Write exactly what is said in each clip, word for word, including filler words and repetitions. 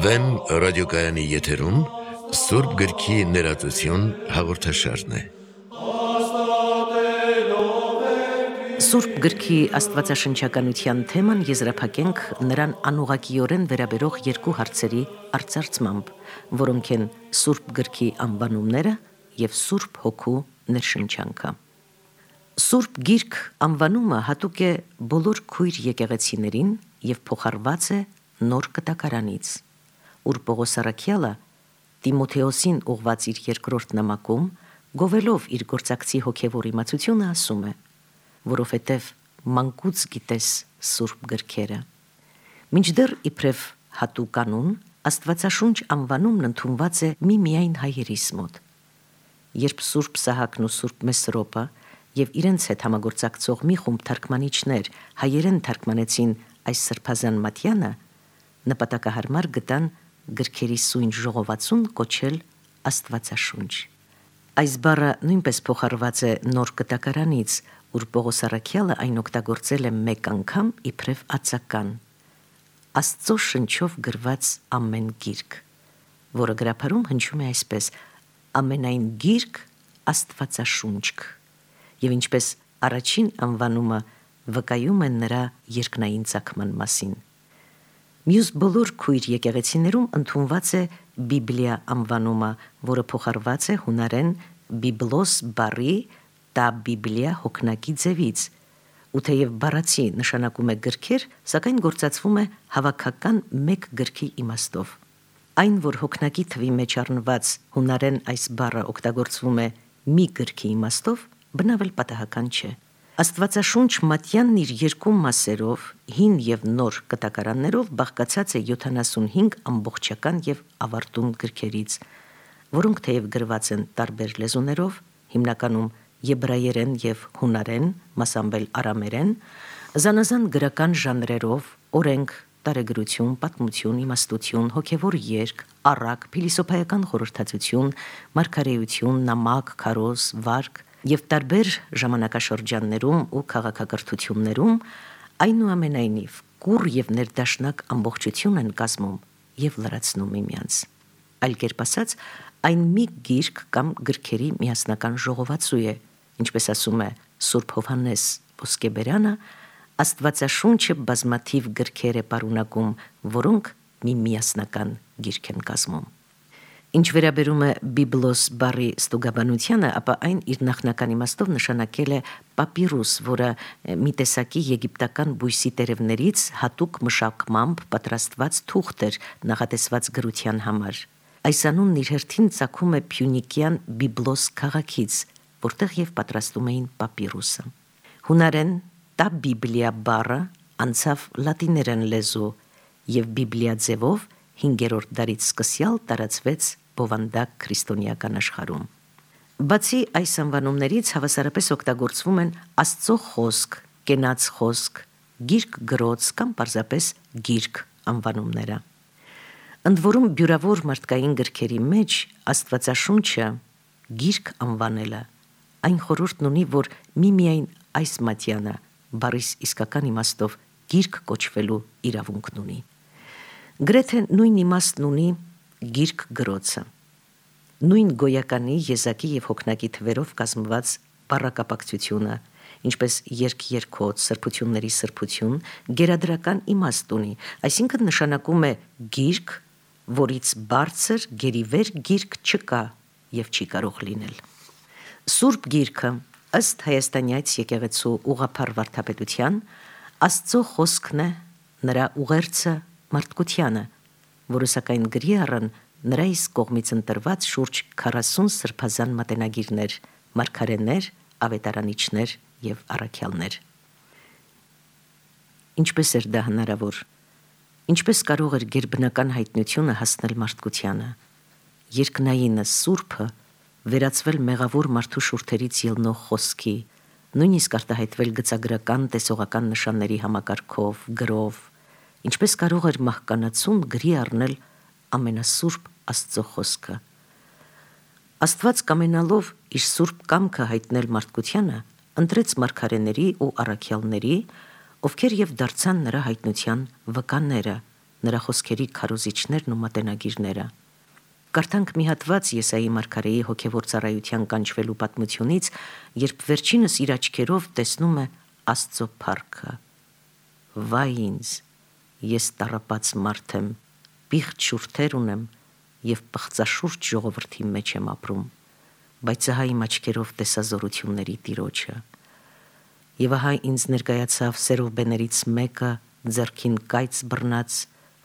Վեմ ռադիոկայանի եթերում Սուրբ գրքի ներածություն հաղորդաշարն է։ Սուրբ գրքի աստվածաշնչականության թեման եզրափակենք նրան անուղղակիորեն վերաբերող երկու հարցերի արծարծմամբ, որոնք են Սուրբ գրքի անվանումները և Սուրբ Հոգու ներշնչանքը։ Սուրբ գիրք անվանումը հատուկ է բոլոր քույր եկեղեցիներին և փոխառված է Նոր Կտակարանից, ուր Պողոս առաքյալը Տիմոթեոսին ուղղված իր երկրորդ նամակում, գովելով իր գործակցի հոգևոր իմացությունը, ասում է, որովհետև մանկուց գիտես Սուրբ գրքերը։ Մինչդեռ իբրև հատուկ կանոն, Աստվածաշունչ անվանումն ընդունված է միմիայն հայերիս մոտ։ Երբ Սուրբ Սահակն ու Սուրբ Մեսրոպը և իրենց հետ համագործակցող մի խումբ թարգմանիչներ հայերեն թարգմանեցին այս սրբազան մատյանը, նպատակահարմար գտան գրքերի սույն ժողովածուն կոչել Աստվածաշունչ։ Այս բառը նույնպես փոխառված է Նոր Կտակարանից, ուր Պողոս առաքյալը այն օգտագործել է մեկ անգամ իբրև ածական՝ Աստծո շնչով գրված ամեն գիրք, որը գրաբարում հնչում է այսպես. ամենայն գիրք Աստվածաշունչ, և ինչպես առաջին անվանումը վկայում է նրա երկնային ծագման մասին։ Մյուս բոլոր քույր եկեղեցիներում ընդունված է Բիբլիա անվանումը, որը փոխառված է հունարեն բիբլոս բառի տա Բիբլիա հոգնակի ձևից, ու թեև բառացի նշանակում է գրքեր, սակայն գործածվում է հավաքական մեկ գրքի իմաստով։ Այն, որ հոգնակի թվի մեջ առնված հունարեն այս բառը օգտագործվում է մի գրքի իմաստով, բնավ էլ պատահական չէ։ Աստվածաշունչ մատյանն իր երկու մասերով, հին և նոր կտակարաններով, բաղկացած է յոթանասունհինգ ամբողջական և ավարտուն գրքերից, որոնք թեև գրված են տարբեր լեզուներով, հիմնականում եբրայերեն և հունարեն, մասամբ էլ արամերեն, զանազան գրական ժանրերով, օրենք, տարեգրություն, պատմություն, իմաստություն, հոգևոր երգ, առակ, փիլիսոփայական խորհրդածություն, մարգարեություն, նամակ, քարոզ, վարք և տարբեր ժամանակաշրջաններում ու քաղաքակրթություններում, այնուամենայնիվ կուռ և ներդաշնակ ամբողջություն են կազմում և լրացնում միմյանց։ Այլ կերպ ասած, այն մի գիրք կամ գրքերի միասնական ժողովածու է, ինչպես ասում է Սուրբ Հովհաննես Ոսկեբերյանը, Աստվածաշունչը բազմաթիվ գրքեր է պարունակում, որոնք մի միասնական գիրք են կազմում։ Ինչ վերաբերում է բիբլոս բառի ստուգաբանությանը, ապա այն իր նախնական իմաստով նշանակել է պապիրուս, որը մի տեսակի եգիպտական բույսի տերևներից հատուկ մշակմամբ պատրաստված թուղթ էր նախատեսված գրության համար։ Այս անունն իր հերթին ծագում է փյունիկյան Բիբլոս քաղաքից, որտեղ և պատրաստում էին պապիրուսը։ Հունարեն տա Բիբլիա բառը անցավ լատիներեն լեզու և Բիբլիա ձևով հինգերորդ դարից սկսյալ տարածվեց բովանդակ քրիստոնեական աշխարհում։ Բացի այս անվանումներից հավասարապես օգտագործվում են Աստծո խոսք, կենաց խոսք, գիրք գրոց կամ պարզապես գիրք անվանումները։ Ընդ որում բյուրավոր մարդկային գրքերի մեջ Աստվածաշունչը գիրք անվանելը այն խորհուրդն ունի, որ միմիայն այս մատյանը բառիս իսկական իմաստով գիրք կոչվելու իրավունքն ունի։ Գրեթե նույն իմաստն ունի գիրք գրոցը։ Նույն գոյականի, եզակի և հոգնակի թվերով կազմված բառակապակցությունը, ինչպես երգ-երգոց, սրբությունների սրբություն, գերադրական իմաստ ունի, այսինքն նշանակում է գիրք, որից բարձր գերիվեր գիրք չկա և չի կարող լինել։ Սուրբ գիրքը, ըստ Հայաստանյաց եկեղեցու ուղղափառ վարդապետության, Աստծո խոսքն է, նրա ուղերձը մարդկությանը, որը սակայն գրի առան նրա իսկ կողմից ընտրված շուրջ քառասուն սրբազան մատենագիրներ, մարգարեներ, ավետարանիչներ և առաքյալներ։ Ինչպես էր դա հնարավոր։ Ինչպես կարող էր գերբնական հայտնությունը հասնել մարդկությանը։ Երկնայինը Սուրբը վերածվել մեղավոր մարդու շուրթերից ելնող խոսքի, նույնիսկ արտահայտվել գծագրական տեսողական նշանների համակարգով, գրով, ինչպես կարող էր մահկանացուն գրի առնել ամենասուրբ Աստծո խոսքը։ Աստված կամենալով իր սուրբ կամքը հայտնել մարդկությանը, ընտրեց մարգարեների ու առաքյալների, ովքեր եւ դարձան նրա հայտնության վկաները, նրա խոսքերի քարոզիչներն ու մատենագիրները։ Կարդանք մի հատված Եսայի մարգարեի հոգևոր ծառայության կանչվելու պատմությունից, երբ վերջինս իր աչքերով տեսնում է Աստծո փառքը։ Վայ ինձ, ես տառապած մարդ եմ, պիղծ շուրթեր ունեմ եւ պղծաշուրջ ժողովրդի մեջ եմ ապրում, բայց ահա իմ աչքերով տեսա զորությունների Տիրոջը։ Եվ ահա ինձ ներկայացավ սերովբեներից մեկը, ձեռքին կայծ բռնած,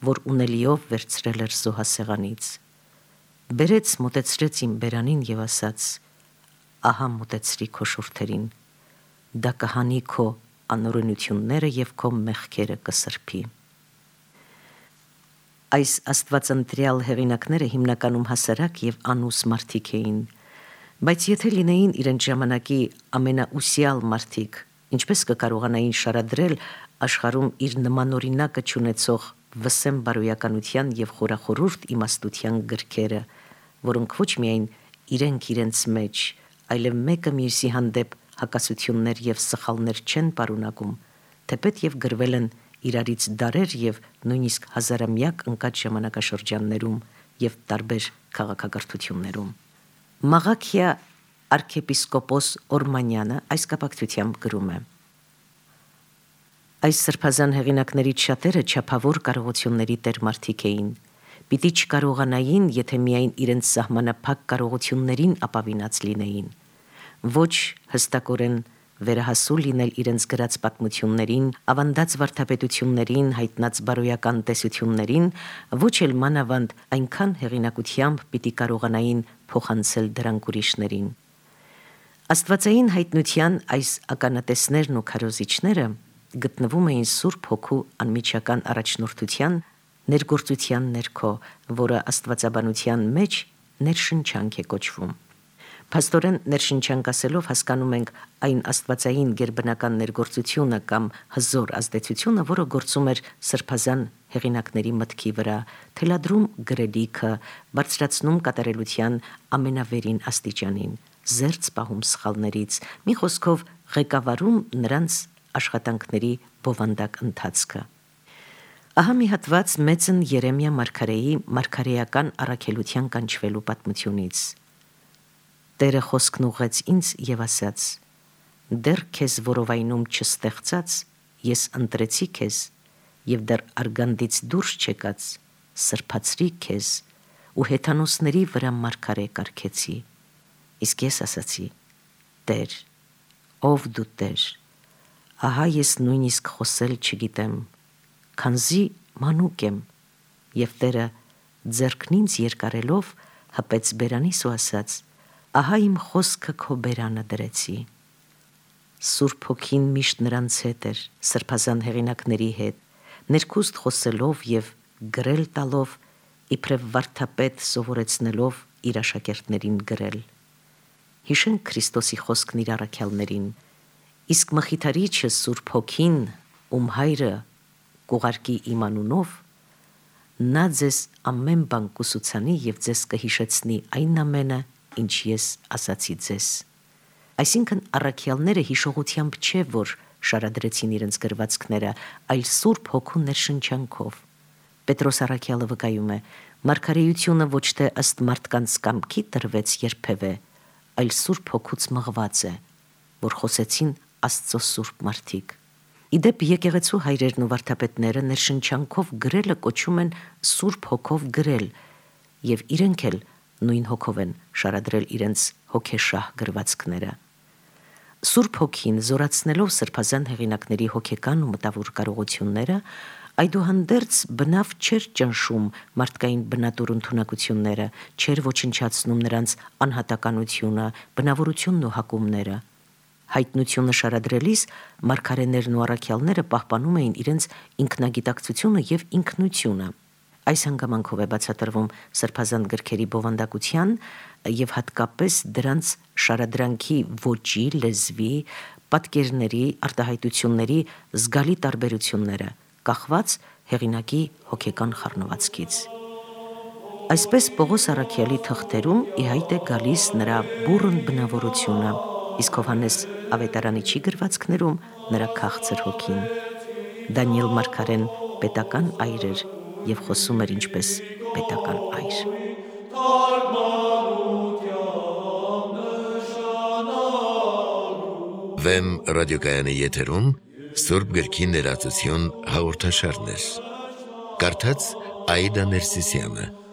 որ ունելիով վերցրել էր զոհասեղանից։ Բերեց, մոտեցրեց իմ բերանին եւ ասաց. ահա մոտեցրի քո շուրթերին, դա կհանի քո անօրենությունները եւ քո մեղքերը կսրբի։ Այս աստվածընտրյալ հեղինակները հիմնականում հասարակ եւ անուս մարդիկ էին, բայց եթե լինեին իրենց ժամանակի ամենաուսյալ մարդիկ, ինչպես կկարողանային շարադրել աշխարհում իր նմանօրինակը չունեցող վսեմ բարոյականության եւ խորախորուրդ իմաստության գրքերը, որոնք ոչ միայն իրենք իրենց մեջ, այլև մեկը մյուսի հանդեպ հակասություններ եւ սխալներ չեն պարունակում, թեպետ եւ գրվել են իրարից դարեր եւ նույնիսկ հազարամյակ ընկած ժամանակաշրջաններում եւ տարբեր քաղաքակրթություններում։ Մաղաքիա arczepiskopos Օրմանյանը այս կապակցությամբ գրում է. Այս սրբազան հեղինակներից շատերը չափավոր կարողությունների տեր մարդիկ էին, պիտի չկարողանային, եթե միայն իրենց սահմանափակ կարողություններին ապավինած լինեին, ոչ հստակորեն վերահասու լինել իրենց գրած պատմություններին, ավանդած վարդապետություններին, հայտնած բարոյական տեսություններին, ոչ էլ մանավանդ այնքան հեղինակությամբ պիտի կարողանային փոխանցել դրանք ուրիշներին։ Աստվածային հայտնության այս ականատեսներն ու քարոզիչները գտնվում էին Սուրբ Հոգու անմիջական առաջնորդության ներգործության ներքո, որը աստվածաբանության մեջ ներշնչանք է կոչվում։ Փաստորեն ներշնչանք ասելով հասկանում ենք այն աստվածային գերբնական ներգործությունը կամ հզոր ազդեցությունը, որը գործում էր սրբազան հեղինակների մտքի վրա, թելադրում գրելիքը, բարձրացնում կատարելության ամենավերին աստիճանին, զերծ պահում սխալներից, մի խոսքով ղեկավարում նրանց աշխատանքների բովանդակ ընթացքը։ Ահա մի հատված մեծն Երեմիա մարգարեի մարգարեական առաքելության կանչվելու պատմությունից։ Տերը խոսքն ուղղեց ինձ եւ ասաց. դեռ քեզ որովայնում չստեղծած, ես ընտրեցի քեզ, եւ դեռ արգանդից դուրս չեկած, սրբացրի քեզ ու հեթանոսների վրա մարգարե կարգեցի։ Իսկ ես ասացի. Տեր, ով դու Տեր, ահա ես նույնիսկ խոսել չգիտեմ, քանզի մանուկ եմ, եւ Տերը ձեռքն ինձ երկարելով հպեց բերանիս ու ասաց. ահա իմ խոսքը քո բերանը դրեցի։ Սուրբ Հոգին միշտ նրանց հետ էր, սրբազան հեղինակների հետ, ներքուստ խոսելով եւ գրել տալով, իբրև վարդապետ սովորեցնելով իր աշակերտներին գրել։ Հիշենք Քրիստոսի խոսքն իր առաքյալներին. իսկ Մխիթարիչը Սուրբ Հոգին, ում հայրը կուղարկի իմ անունով, նա ձեզ ամեն բան կուսուցանի եւ ձեզ կհիշեցնի այն ամենը, ինչ ես ասացի ձեզ։ Այսինքն առաքյալները հիշողությամբ չէ, որ շարադրեցին իրենց գրվածքները, այլ Սուրբ Հոգու ներշնչանքով։ Պետրոս առաքյալը վկայում է. մարգարեությունը ոչ թե ըստ մարդկանց կամքի տրվեց երբևէ, այլ Սուրբ Հոգուց մղված է, որ խոսեցին Աստծո սուրբ մարդիկ։ Իդեպ եկեղեցու հայրերն ու վարդապետները ներշնչանքով գրելը կոչում են Սուրբ Հոգով գրել, եւ իրենք էլ նույն հոգով են շարադրել իրենց հոգեշահ գրվածքները։ Սուրբ Հոգին զորացնելով սրբազան հեղինակների հոգեկան ու մտավոր կարողությունները, այդուհանդերձ բնավ չէր ճնշում մարդկային բնատուր ընդունակությունները, չէր ոչնչացնում նրանց անհատականությունը, բնավորությունն ու հակումները։ Հայտնությունը շարադրելիս մարգարեներն ու առաքյալները պահպանում էին իրենց ինքնագիտակցությունը եւ ինքնությունը։ Այս հանգամանքով է բացատրվում սրբազան գրքերի բովանդակության եւ հատկապես դրանց շարադրանքի ոճի, լեզվի, պատկերների, արտահայտությունների զգալի տարբերությունները, կախված հեղինակի հոգեկան խառնվածքից։ Այսպես Պողոս առաքյալի թղթերում ի հայտ է գալիս նրա բուռն բնավորությունը, իսկ Հովհաննես ավետարանի չի գրվածքներում նրա քաղցր հոգին։ Դանիել Մարգարեն պետական այր էր և խոսում էր ինչպես պետական այր։ Վեմ ռադիոկայանի եթերում Սուրբ գրքի ներածություն հաղորդաշարներ։ Կարդաց Աիդա Ներսիսյանը։